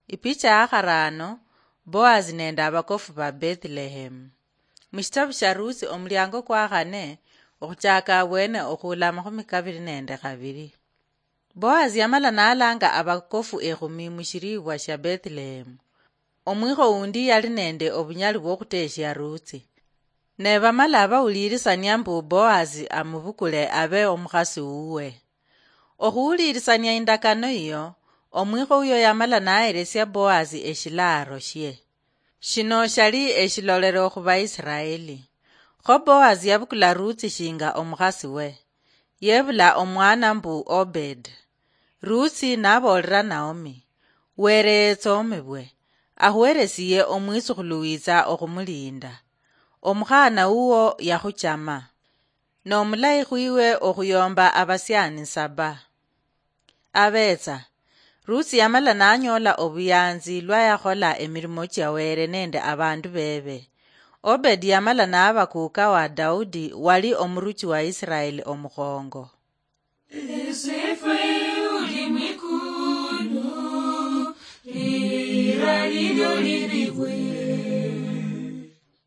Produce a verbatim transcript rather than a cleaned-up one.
Ipicha ya kharaano, Boazi nende abakofu ba Bethlehem. Mushitabu sha Rusi omuliango kwa khane, okhuchaka abwene okhuula amakhumi kabili nende khabili. Boazi yamala nalanga abakofu ekhumi mushiribwa shia Bethlehem. Omwikho undi yali nende obunyali bwokhuteshia Rusi. Ne bamala bawulirisania mbu Boazi amubukule abe omukhasi wuwe. Okhuwulirisania indakano iyo, omwikho uyo yamala naheresia Boazi eshilaaro shie. Shino shali eshilolero khu Baisiraeli. Kho Boazi yabukula Rusi shinga omukhasi we. Yebula omwana mbu Obed. Rusi naboolera Naomi, "Were yetsoomibwe, ahuheresiye omwitsukhulu witsa okhumulinda." Omukhaana wuwo yakhuchama. N'omulayi khwiwe okhuyomba abasiani saba. Abetsa. Rusi yamala nanyola obuyanzi lwa yakhola emirimo chia Were nende abandu bebe. Obedi yamala naba kuka wa Daudi wali omuruchi wa Israeli omukhongo. Esifu uli mwikulu, lira lilyo lilibwe.